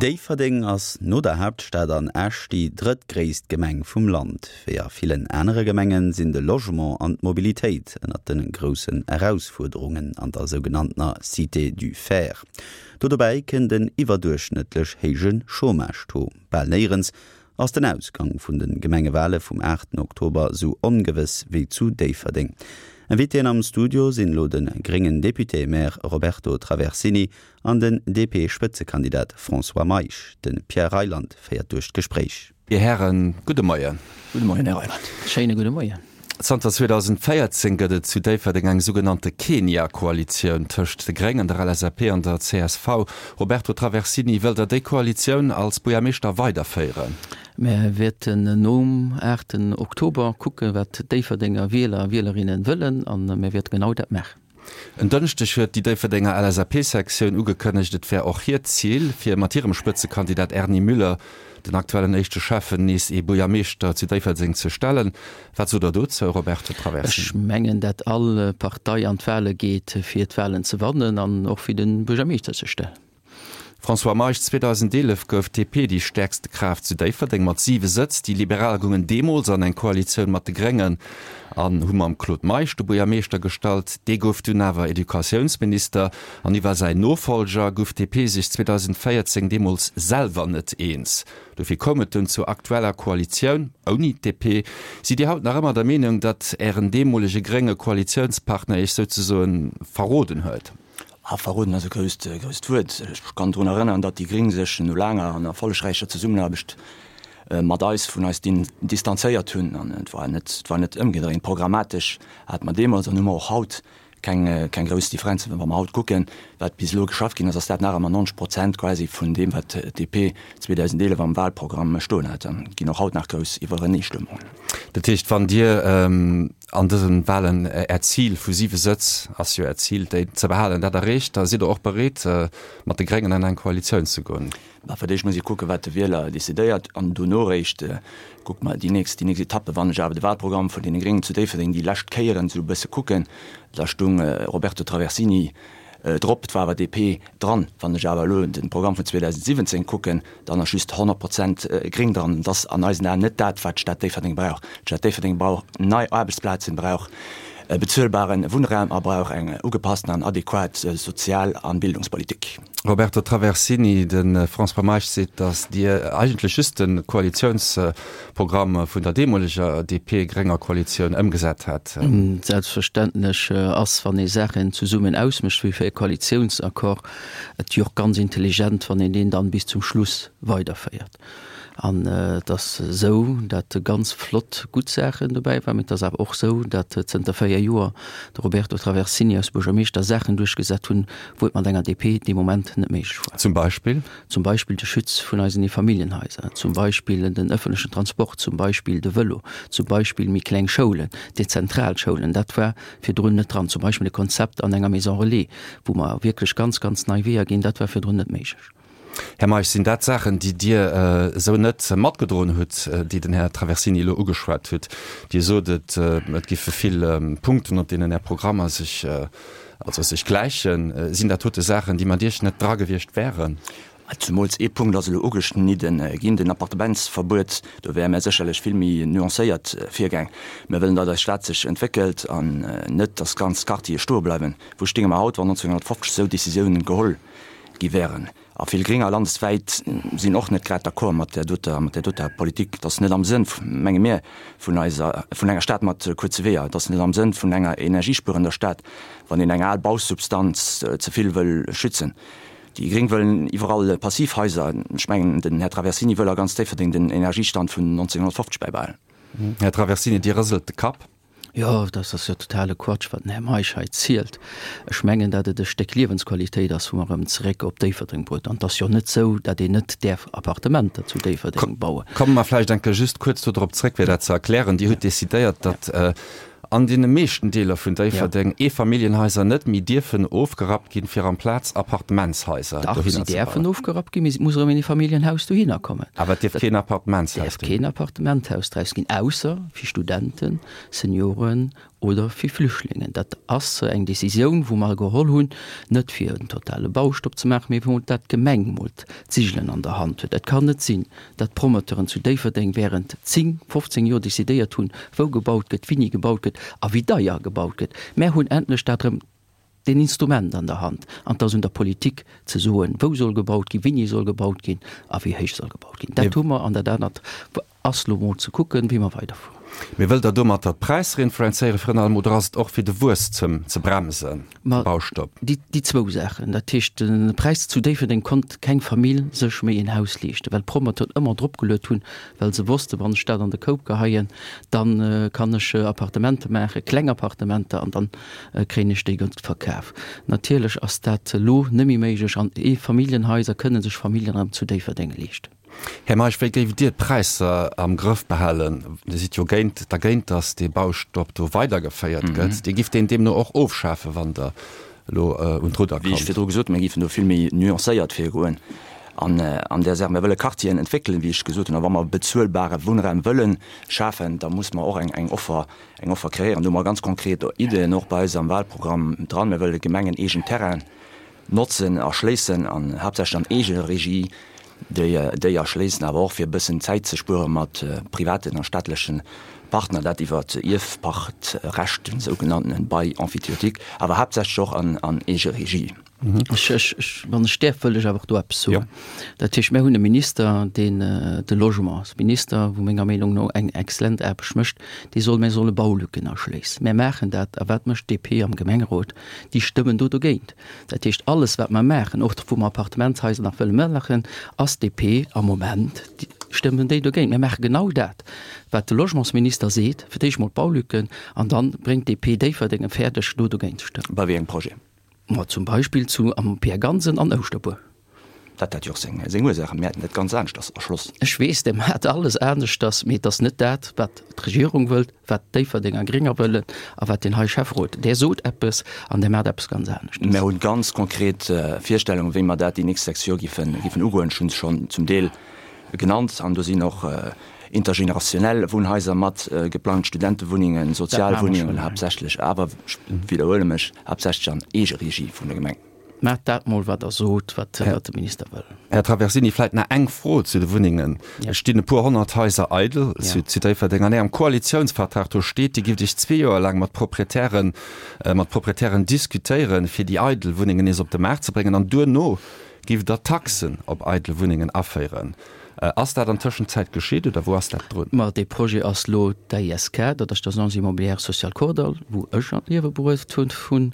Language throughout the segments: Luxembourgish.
Déifferdeng ass no der Haaptstad an Esch déi drëttgréisst Gemeng vum Land. Wéi a villen anere Gemenge sinn de Logement an d'Mobilitéit ënnert de groussen Erausfuerderungen an der sougenanntener Cité du Fer. Do dobäi kënnt en iwwerduerchschnëttlech héije Chômage-Taux. Bal néierens ass den Ausgang vun de Gemengewale vum 8 Oktober sou ongewëss wéi zu Déifferdeng. Invitéen am Studio sinn elo de gréngen Député-Maire Roberto Traversini an den DP-Spëtzekandidat François Meisch. De Pierre Reyland féiert duerch d'Gespréich. Dir Hären, gudde Moien. Gudde Moien, Här Reyland. Schéine gudde Moien. Zanter 2014 gëtt et zu Déifferdeng eng sougenannte Kenia-Koalitioun tëscht de Gréngen, der LSAP an der csv. Roberto Traversini, wëllt Der déi Koalitioun als Buergermeeschter weiderféieren? Mär wäerten nom aachten Oktober kucken, wat d'Déifferdenger Wieler a Wielerinnen wëllen, a mir wäerte genau dat maachen. En Dënschdeg huet déi Déifferdenger LSAP-Sektioun ugekënnegt, et wär och hiert Zil, fir mat hirem Spëtzekandidat Erny Müller, den aktuellen éischte Schäffen, nees ee Buergermeeschter zu Déifferdeng ze stellen. Wat sot Der dozou, Roberto Traversini? Ech mengen, dat all Partei an d'Wale geet, fir d'Walen ze wannen an och fir de Buergermeeschter ze stellen. François Meisch, 2011 gouf d'DP déi stäerkste Kraaft zu Déifferdeng mat 7 Sëtz. Déi Liberal goungen deemools an eng Koalitioun mat de Gréngen an hu mam Claude Meisch de Buergermeeschter gestallt. Dee gouf dunn awer Educatiounsminister an iwwer säin Nofollger gouf d'DP sech 2014 deemools selwer net eens. Dofir koum et dunn zur aktueller Koalitioun ouni d'DP. Sidd Dir haut nach ëmmer der Meenung, datt Ären deemolege grénge Koalitiounspartner Iech souzesoen verroden huet? Ah, verroden ass e grousst, grousst Wuert. Ech kann drun erënneren, datt déi Gréng sech no laanger an erfollegräicher Zesummenaarbecht mat eis, vun eis distanzéiert hunn. An et war net, et war net ëmgedréint. Programmatesch hate mer deemools an hu mer och haut keng, keng grouss Differenzen. Wa mer haut kucken, wat bis elo geschafft ginn ass, ass dat nach ëmmer 90 Prozent quasi vun deem, wat d'DP 2011 am Wahlprogramm stoen hat. An et ginn och haut nach grouss Iwwereneestëmmungen. Dat heescht, wann Dir an dësen Wahlen Äert Zil vu 7 Sëtz, ass jo Äert Zil, déi ze behalen, dat erreecht, da sidd Der och bereet, mat de Gréngen an eng Koalitioun ze goen? Mä fir d'éischt muss ee kucken, wat de Wieler decidéiert, an dono eréischt kucke mer déi nächst, déi nächst Etappe. Wann ech awer de Wahlprogramm vun deene Gréngen zu Déifferdeng déi lescht Kéieren esou e bësse kucken, da stung Roberto Traversini drop, et war awer DP dran. Wann ech awer elo de Programm vun 2017 kucken, dann ass just 100 Prozent gréng dran. Dat ass an eisen Aen net dat, wat d'Stad Déifferdeng brauch. D'Stad Déifferdeng brauch nei Aarbechtsplazen, brauch bezuelbare Wunnraum a brauch eng ugepassten an adequat Sozial a Bildungspolitik. Roberto Traversini, De François Meisch seet, datt Dir eigentlech just de Koalitiounsprogramm vun der deemoleger DP-grénger Koalitioun ëmgesat hätt. Selbstverständlech ass, wann ee Saachen zesummen ausmécht, wéi fir e Koalitiounsaccord, Et wier och ganz intelligent, wann een deen dann bis zum Schluss weiderféiert. An et ass esou, dat ganz flott, gutt Saachen dobäi waren, mee et ass awer och esou, dat zënter 4 Joer de Roberto Traversini als Buergermeeschter Saachen duerchgesat hunn, wou et mat enger DP dee Moment net méiglech war. Zum Beispill? Zum Beispill de Schutz vun eisen Eefamilljenhaiser, zum Beispill den ëffentlechen Transport, zum Beispill de Vëlo, zum Beispill méi kleng Schoulen, dezentral Schoulen. Dat war virdrun net dran. Zum Beispill e Konzept an enger Maison relais, wou mer wierklech ganz, ganz nei Weeër ginn, dat war virdrun net méiglech. Här Meisch, sinn dat Saachen, déi Dir esou net matgedroen hutt, déi den Här Traversini elo ugeschwat hutt? Dir sot, et et giffe vill Punkten, op deenen Är Programmer sech, also sech gläichen. Sinn dat dote Saachen, déi mat Iech net dra gewiescht wären? Zemools ee Punkt ass elo ugeschnidde ginn, den Appartementsverbuet. Do wäre mär sécherlech vill méi nuancéiert virgaang. Mir wëllen, datt eis Stad sech entwéckelt an net, datt ganz Quartiere stoe bleiwen. Wou stinge mer haut, wann 1950 esou Decisiounen geholl gi wären? A vill Grénger landeswäit sinn och net grad d'accord mat där doter, mat där doter Politik. Et ass net am Sënn, menge mir, vun eiser, vun enger Stad mat kuerze Weeër. Et ass net am Sënn vun enger energiespuerender Stad, wann een eng al Bausubstanz ze vill wëll schützen. Déi Gréng wëllen iwwerall Passivhaiser. Ech mengen, den Här Traversini wëll a ganz Déifferdeng den Energiestand vun 1950 bäibehalen. Här Traversini, Dir rëselt de Kapp. Jo, dat ass jo totale Quatsch, wat den Här Meisch hei zielt. Ech mengen, dat et e Stéck Liewensqualitéit ass, wou mer erëm zeréck op Déifferdeng bruet. An et ass jo net esou, dat een net däerf Appartementer zu Déifferdeng bauen. Komme mer vläicht eng Kéier just kuerz do drop zréck, fir dat ze erklären. Dir hutt decidéiert, datt an deene meeschten Deeler vun Déifferdeng Eefamilljenhaiser net méi dierfen ofgerappt ginn, fir amplaz Appartementshaiser Dach, si dohinner ze däerfen bauen. ofgerappt ginn, mee et muss erëm een Eefamilljenhaus dohinner kommen. Awer et dierf keen Appartementshaus Däerf ginn. keen Appartementhaus draus ginn, ausser fir Studenten, Senioren. oder fir Flüchtlingen. Dat ass eng Décisioun, wou mer geholl hunn, net fir en totale Baustopp ze maachen, mee wou dat d'Gemeng mol d'Sigelen an der Hand huet. Et kann net sinn, dat d'Promoteuren zu Déifferdeng während 10, 15 Joer décidéiert hunn, wou gebaut gëtt, wéini gebaut gëtt a wéi deier gebaut gëtt. Mär hunn endlech dat erëm deen Instrument an der Hand an et ass un der Politik ze soen, wou soll gebaut ginn, wéini soll gebaut ginn a wéi héich soll gebaut ginn. Dat hu mer an dat anert ass lo mol ze kucken, wéi mer weiderfueren. Mee wëllt Der domatter d'Präisser influenzéieren virun allem oder ass et och fir de Wuesstem ze bremsen, de Baustopp? Déi, déi zwou Saachen. Dat heescht, de Präis zu Déifferdeng konnt keng Famill sech méi en Haus leeschten, well d'Promoteuren ëmmer dropgeluet hunn, well se wossten, wann ech dat an de Koup geheien, da kann ech Appartemente maachen, kleng Appartementer, an dann kréien ech déi gutt verkaf. Natierlech ass dat elo net méi méiglech an Eefamilljenhaiser kënne sech Familljen erëm zu Déifferdeng leeschten. Här Meisch, wéi géift Dir d'Präisser am Grëff behalen? Dir sidd jo géint, dergéint, datt dee Baustopp do weidergeféiert gëtt. Dir gifft deen deemno och ofschafen, wann Der elo un d'Rudder Wéi ech kommt? virdru gesot hunn, mir géifen do vill méi nuancéiert virgoen an an där Saach. Mir wëlle Quartieren entwéckelen, wéi ech gesot hunn. A wa mer bezuelbare Wunnraum wëlle schafen, da muss mer och eng eng Offer, eng Offer kreéieren. Do hu mer ganz konkret Ideeën och bei eis am Wahlprogramm dran. Mir wëlle gemengeneegen Terrainen notzen, erschléissen an haaptsächlech an Eegeregie déi déi erschléissen, awer och fir e bëssen Zäit ze spuere mat privaten a staatleche Partner, dat iwwer Ierfpachtrecht, den sougenanntenen Bail emphytéotique, awer haaptsächlech och an an Eegeregie. Ech, ech, ech, wann ech däerf, wëll ech awer och do eppes soen. Dat heescht, mir hunn e Minister, deen de Logementsminister, wou menger Meenung no eng exzellent Aarbecht mécht, dee soll, mir solle Baulücken erschléissen. Mir maachen dat. A wat mécht d'DP am Gemengerot? Déi stëmmen do dogéint. Dat heescht, alles wat mer maachen, och wou mer Appartementshaiser nach wëlle maachen, ass DP am Moment, stëmmen déi dogéint. Mir maache genau dat, wat de Logementsminister seet, fir d'éischt mol d'Baulücken an dann bréngt DP Déifferdeng et fäerdeg, do dogéint ze stëmmen. Bei wéi engem Projet? Ma zum Beispill zu am Pierre Gansen an Ouschterbuer. Dat hat jo och seng seng Ursaachen. Mir hätten dat ganz aneschters erschloss. Ech weess, Der maacht alles aneschters, mee et ass net dat, wat d'Regierung wëllt, wat d'Déifferdenger Grénger wëllen a wat deen hei Schäfferot, där sot eppes an där maacht eppes ganz aneschtes. Mir hunn ganz konkret Virstellungen, wéi mer dat déi nächst 6 Joer giffen giffen ugoen. Ech hunn se schonn zum Deel genannt an do sinn och intergenerationnel Wunnhaiser mat geplangt, Studentewunnengen, Sozialwunnengen haaptsächlech, awer, ech widderhuele mech, haaptsächlech an Eegeregie vun der Gemeng. Maacht dat mol, wat Der sot, wat de Minister wëll. Här Traversini, vläicht nach eng Fro zu de Wunnengen. Et stinn e puer 100 Haiser eidel zu Déifferdeng. An Ärem Koalitiounsvertrag, do steet, Dir gifft Iech zwee Joer laang mat Proprietären, mat Proprietären diskutéieren, fir déi eidel Wunnengen nees op de Maart ze bréngen. An duerno gifft Der Taxen op eidel Wunnengen aféieren. Ass dat an Tëschenzäit geschitt oder wou ass dat drun? Ma dee Projet ass lo d'AISK, dat ass d'Agence Immobilière Sociale Kordall, wou ech an d'Liewe bruecht hunn,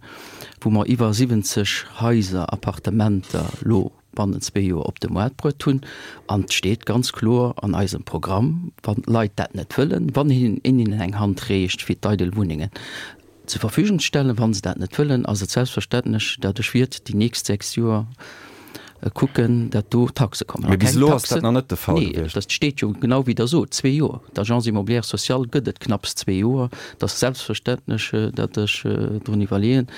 wou mer iwwer 70 Haiser, Appartementer lo bannent zwee Joer op de Moart bruet hunn. An et steet ganz kloer an eisem Programm, wann d'Leit dat net wëllen, wann hinnen een hinnen eng Hand reecht fir d'eidel Wunnengen zur Verfügung ze stellen, wa se dat net wëllen, ass et selbstverständlech, dat ech wiert déi nächst 6 Joer kucken, dat do Taxe kommen. Mee bis elo ass dat nach net de Fall gewiescht. Nee, dat steet jo genau wéi Der sot, zwee Joer. D'Agence immobilière sociale gëtt et knapps zwee Joer. Et ass selbstverständlech, dat ech drun iwwerleeën,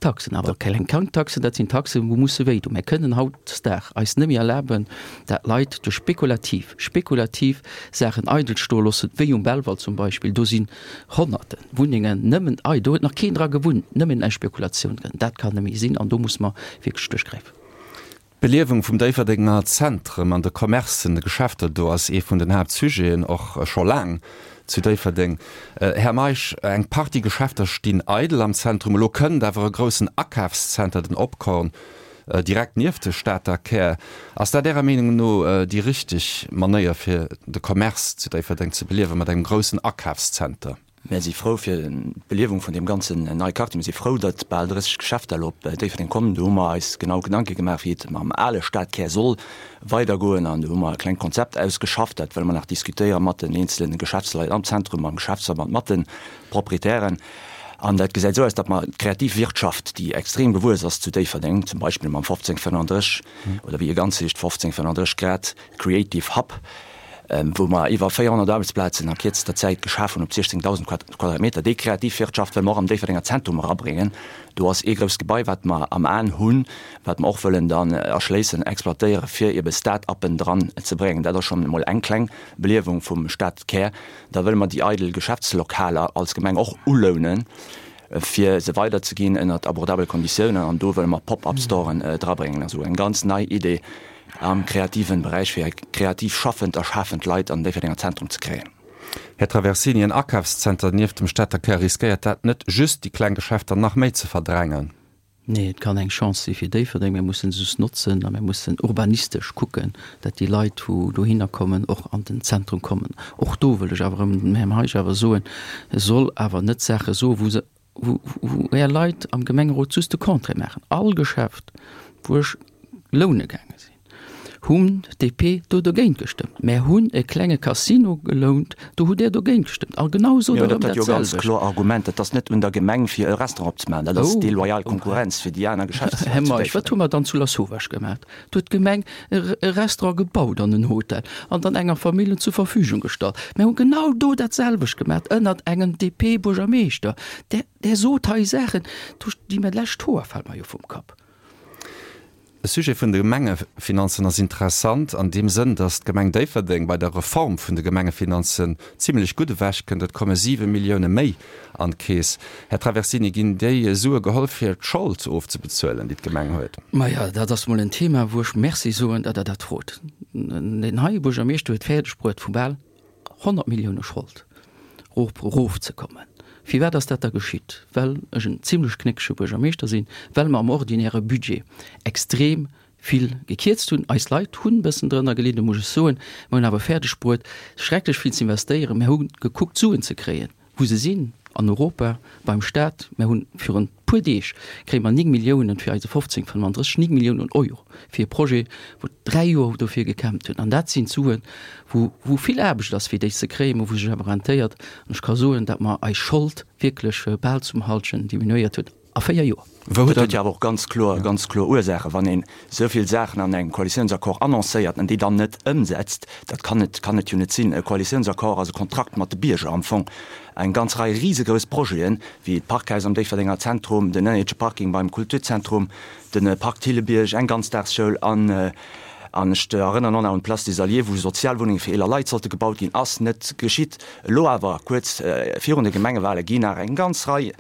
Taxen, awer keng kleng Taxen, dat sinn Taxen, wou musse wéi doen. Mir kënnen hautdesdaags eis net méi erlaben, dat Leit duerch spekulativ, spekulativ Saachen eidel stoe loossen, wéi um Belval zum Beispill. Do sinn Honnerte Wunnengen nëmmen eidel, do huet nach keen dra gewunnt, nëmmen eng Spekulatioun drin. Dat kann net méi sinn an do muss mer wierklech duerchgräifen. D'Beliewung vum Déifferdenger Zentrum an de Commercen, de Geschäfter do ass ee vun den Haaptsujeten, och scho laang zu Déifferdeng. Här Meisch, eng Partie Geschäfter stinn eidel am Zentrum. Elo kënnt awer e groussen Akafszenter, den Opkorn, direkt nieft de Stater Kär. Ass dat Ärer Meenung no déi richteg Manéier fir de Commerce zu Déifferdeng ze beliewen, mat engem groussen Akafszenter? Mär si frou fir d'Beliewung vun deem ganzen neie Quartier. Mir si frou, datt bal 30 Geschäfter elo op Déifferdeng kommen. Do hu mer eis genau Gedanke gemaach, wéi et mam ale Stadkär soll weidergoen. An do hu mer e klengt Konzept ausgeschafft. Dat wëlle mer nach diskutéiere mat den eenzele Geschäftsleit am Zentrum, mam Geschäftsverband, mat de Proprietären. An dat gesäit esou aus, datt mer d'Kreativwirtschaft, déi extrem gewuess ass zu Déifferdeng, zum Beispill mam 1535 oder wéi e ganz heescht, 1535 Grad Creative Hub. wou mer iwwer 400 Aarbechtsplazen a kierzester Zäit geschaf hunn op 16.000 Quadratmeter. Déi Kreativwirtschaft wëlle mer och am Déifferdenger Zentrum erabréngen. Do ass ee grousst Gebai, wat mer am Aen hunn, wat mer och wëllen dann erschléissen, exploitéieren, fir ebe Start-uppen dran ze bréngen. Dat ass schonn emol eng kleng Beliewung vum Stadkär. Da wëlle mer déi eidel Geschäftslokaler als Gemeng och ulounen, fir se weiderzeginn ënnert abordabele Konditiounen. An do wëlle mer Pop-up-Storen drabréngen. Also eng ganz nei Idee am kreativen Beräich, fir kreativ schaffend a schafend Leit an den Déifferdenger Zentrum ze kréien. Här Traversini, en Akafszenter nieft dem Stater Kär, riskéiert dat net just déi kleng Geschäfter nach méi ze verdrängen? Nee, et kann eng Chance si fir Déifferdeng. Mir mussen se just notzen a mir mussen urbanistesch kucken, dat déi Leit, wou dohinner kommen, och an den Zentrum kommen. Och do wëll ech awer erëm dem Här Meisch awer soen, e soll awer net Saache soen, wou se, wou, wou Är Leit am Gemengerot just de Contraire maachen. All Geschäft, wou ech loune gaange sinn, hunn d'DP do dogéint gestëmmt. Mär hunn e klenge Casino gelount, do hutt Där dogéint gestëmmt. A genau sot Der erëm dat jo ganz selwecht. kloer Argument, dat ass net un der Gemeng fir e Restaurant opzemaachen, dat ass deloyal Konkurrenz fir déi aner Geschäftsleit Här Meisch, wat hu mer dann zu Lasauvage gemaach? Do huet d'Gemeng e Restaurant gebaut an en Hotel an dann enger Familljen zur Verfügung gestallt. Mär hu genau do dat selwecht gemaach ënnert engem DP-Buergermeeschter. Där, där sot hei Saachen, do sti mir lech d'Hoer fale mer jo vum Kapp. De Sujet vun de Gemengefinanzen ass interessant an deem Sënn, datt d'Gemeng Déifferdeng bei der Reform vun de Gemengefinanzen zimlech gutt ewechkënnt. Et komme 7 Millioune méi an d'Keess. Här Traversini, ginn déi Sue geholl fir d'Schold ofzebezuelen, déi d'Gemeng huet? Maja, dat ass mol en Thema, wou ech Merci soen, datt Der dat frot. Deen heie Buergermeeschter huet fäerdeg bruet, vu bal 100 Millioune Schold erofzekommen. Firwat ass dat da geschitt? Well ech en zimlech knéckege Buergermeeschter sinn, well mer am ordinäre Budget extrem vill gekierzt hunn. Eis Leit hunn e bëssen drënner gelidden, muss ech soen. Mer hunn awer fäerdeg bruet, schrecklech vill z'investéieren. Mer hu gekuckt, Suen ze kréien. Wou se sinn, an Europa, beim Staat. Mer hunn virun puer Deeg kréie mer 9 Milliounen fir eise 1535, 9 Milliounen Euro fir e Projet, wou 3 Joer dofir gekämpft hunn. An dat sinn d'Suen, wou wou vill Aarbecht ass fir déi ze kréien, mä wou sech awer rentéiert. An ech ka soen, datt mer eis Schold wierklech bal zum Halschen diminuéiert hunn. A 4 Joer. Wou huet Dat huet jo awer och ganz kloer, ganz kloer Ursaachen. Wann een esou vill Saachen an engem Koalitiounsaccord annoncéiert an déi dann net ëmsetzt, dat kann et, kann et jo net sinn. E Koalitiounsaccord ass e Kontrakt mat de Bierger am Fong. Eng ganz Rei risegrouss Projeten, wéi d'Parkhaus am Déifferdenger Zentrum, den ënnerierdesche Parking beim Kulturzentrum, de Park Thillebiërg, eng Ganzdagsschoul an, an ech erënneren och nach un d'Place des Alliés, wou Sozialwunnenge fir eeler Leit sollte gebaut ginn, ass net geschitt. Elo awer, kuerz virun de Gemengewale ginn nach eng ganz Rei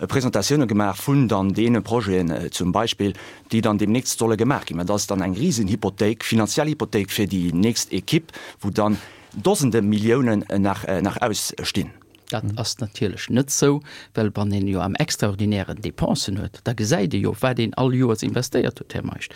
Presentatioune gemaach vun dann deene Projeten zum Beispill, déi dann deemnächst solle gemaach ginn. Mä dat ass dann eng Risenhypothéik, finanziell Hypothéik fir déi nächst Equipe, wou dann Dosende Milliounen nach nach ausstinn. Dat ass natierlech net sou, well wann een jo am Extraordinären Dépensen huet, da gesäit ee jo, wat een all Joers investéiert huet, Här Meisch.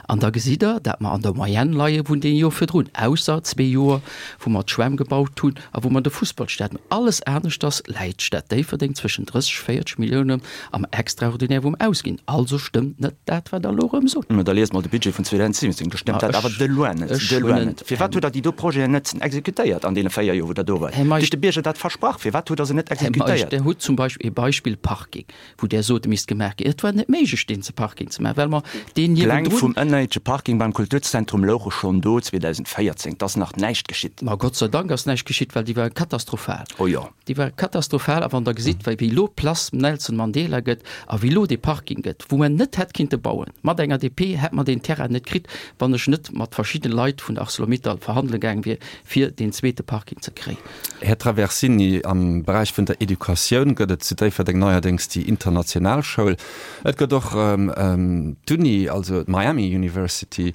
An da gesitt Der, dat mer an der Moyenne leie vun deem Joer virdrun, ausser zwee Joer, wou mer d'Schwämm gebaut hunn a wou mer de Fussballstadion. Alles aneschters läit d'Stad Déifferdeng zwëschen 30, 40 Milliounen am Extraordinaire wou mer ausginn. Also stëmmt net dat, wat Der elo erëm sot. Mä da liest mol de Budget vun 2017, do stëmmt dat awer de loin net, de loin net. Firwat hutt Der déi do Projeten net exekutéiert an deene 4 Joer, wou Der do waart? Dir hutt de Bierger dat versprach, firwat hutt Der se net exekutéiert? Här Meisch, Der hutt zum Beispill ee Beispill Parking. wou Der sot, e misst gemaach ginn. Et war net méiglech, deen ze Parking ze maachen, well mer deen D'Pläng niewendrun. vum ënnerierdesche Parking beim Kulturzentrum louche schonn do 2014. Et ass nach näischt geschitt. Ma Gott sei Dank ass näischt geschitt, well déi ware katastrophal. Oh jo. Déi ware katastrophal. A wann Der gesitt, wéi elo d'Place Nelson Mandela gëtt a wéi elo dee Parking gëtt, wou mer net hätt kinnte bauen, mat enger DP hätt mer deen Terrain net kritt, wann ech net mat verschidde Leit vun der Arcelor-Mittal verhandele gaange wier, fir deen zweete Parking ze kréien. Här Traversini, am Beräich vun der Educatioun gëtt et zu Déifferdeng neierdéngs déi international Schoul. Et gëtt och d'Uni, also d'Miami University.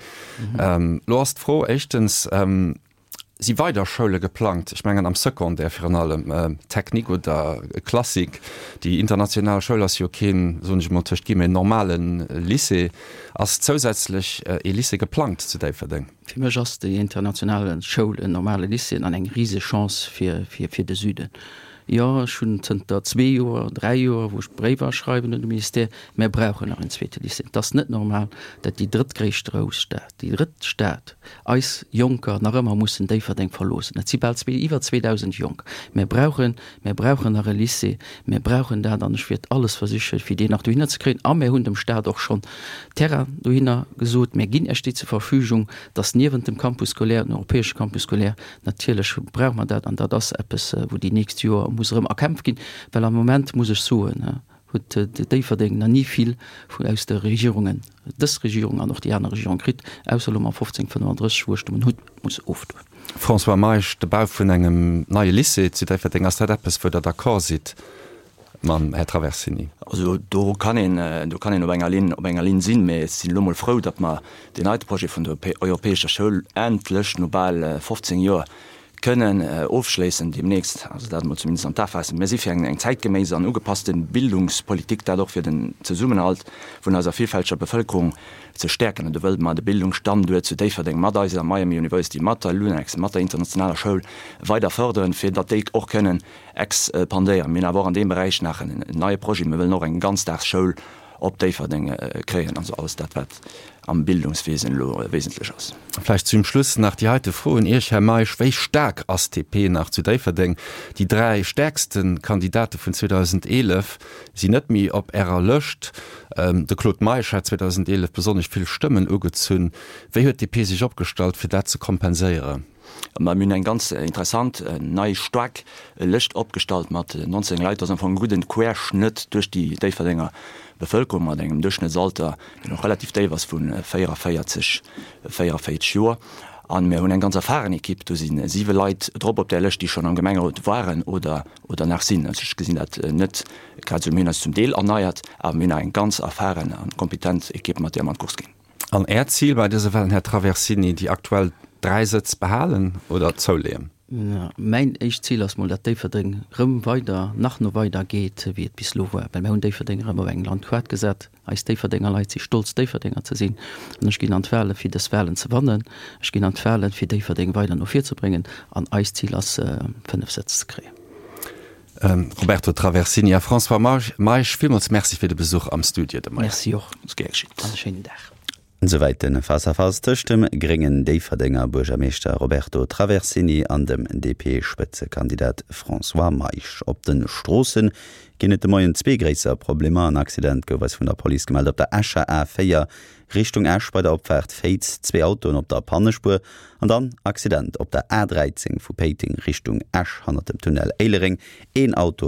Elo ass d'Fro éischtens, Si weider Schoule geplangt? Ech mengen am Secondaire virun allem, Technique oder Classique. Déi international Schoul ass jo keen, soen ech emol tëscht Guillemets, normale Lycée. Ass zousätzlech ee Lycée geplangt zu Déifferdeng? Fir mech ass déi international Schoul en normale Lycée an eng riseg Chance fir fir de Süden. Jo, ech hunn zënter zwee Joer, dräi Joer, wou ech Bréiwer schreiwen un de Ministère, mär brauchen nach en zweete Lycée. Et ass net normal, dat déi drëttgréisst Grousstad, déi drëtt Stad, eis Jonker nach ëmmer mussen Déifferdeng verloossen. Et si bal zwee, iwwer 2.000 Jonk. Mär brauchen, mär brauchen nach e Lycée, mär brauchen dat an ech wäert alles versichen, fir deen nach dohinner ze kréien. A mär hunn dem Stat och schonn Terrain dohinner gesot, mär ginn Iech déi zur Verfügung, dass niewent dem Campus scolaire, den europäesche Campus scolaire, Natierlech brauche mer dat an dat ass eppes, wou déi nächst Joer muss erëm erkämpft ginn, well am Moment, muss ech soen, huet Déifferdeng nach ni vill vun aus de Regierungen, dës Regierung an och déi aner Regierung kritt, ausser elo mam 1535, wou ech de Hutt muss ofdoen. François Meisch, De Bau vun engem neie Lycée zu Déifferdeng, ass dat eppes, wou Der d'accord sidd mam Här Traversini? Also do kann een, do kann een op enger Linn, op enger Linn sinn, mä ech sinn elo mol frou, datt mer deen heite Projet vun der europäescher Schoul endlech no bal 15 Joer kënnen ofschléissen deemnächst, also dat emol zumindest an d'A faassen. Mir si fir eng zäitgeméiss an ugepasste Bildungspolitik, dat och fir den Zesummenhalt vun eiser villfälteger Bevëlkerung ze stäerken. An do wëlle mer de Bildungsstanduert zu Déifferdeng mat eiser Miami University, mat der LUNEX, mat der internationaler Schoul weider fërderen, fir datt déi och kënnen Expandéieren. Mir hunn awer och an deem Beräich nach en neie Projet. Mir wëllen och eng Ganzdagsschoul op Déifferdeng kréien. Also alles dat, wat am Bildungswesen elo wesentlech ass. Vläicht zum Schluss nach déi heite Fro un Iech, Här Meisch, Wéi staark ass d'DP nach zu Déifferdeng? Déi dräi stäerkste Kandidate vun 2011 sinn net méi op Ärer Lëscht. De Claude Meisch hat 2011 besonnesch vill Stëmmen ugezunn. Wéi huet d'DP sech opgestallt, fir dat ze kompenséieren? Mä mir hunn eng ganz interessant nei staark Lëscht opgestallt mat 19 Leit. Dat ass am Fong e gudden Querschnëtt duerch déi Déifferdenger Bevëlkerung mat engem Duerchschnëttsalter, deen och relativ déif ass, vu 44, 44 Joer. A mir hunn eng ganz erfahren Ekipp. Do si siwe Leit drop op där Lëscht, déi schonn am Gemengerot waren oder, oder nach sinn. Also ech gesinn dat net grad esou. Mir hunn eis zum Deel erneiert, awer mir hunn nach eng ganz erfahren a kompetent Ekipp, mat där mer an d'Course ginn. An Äert Zil bei dëse Wahlen, Här Traversini, déi aktuell 3 Sëtz behalen oder zouleeën? Mäin éischt Zil ass mol, datt Déifferdeng rëm weider, nach no weider geet, wéi et bis elo war. Well mir hunn Déifferdeng erëm op eng Landkaart gesat. Eis Déifferdenger Leit si stolz, Déifferdenger ze sinn. An ech ginn an d'Wahlen, fir dës Wahlen ze wannen. Ech ginn an d'Wahlen, fir Déifferdeng weider no vir ze bréngen. An eist Zil ass, 5 Sëtz ze kréien. Roberto Traversini a François Meisch, villmools Merci fir de Besuch am Studio de Moien. Merci och an e schéinen Dag. Esouwäit de Face-à-Face tëscht dem gréngen Déifferdenger Buergermeeschter Roberto Traversini an dem DP-Spëtzekandidat François Meisch. Op de Stroosse ginn et de Moien zwee gréisser Problemer. En Accident gouf eis vun der Police gemellt op der Escher A4 Richtung Esch bei der Opfaart Féiz, zwee Autoen op der Pannespuer an dann Accident op der A 13 vu Péiteng Richtung Esch hannert dem Tunnel Éilereng, een Auto.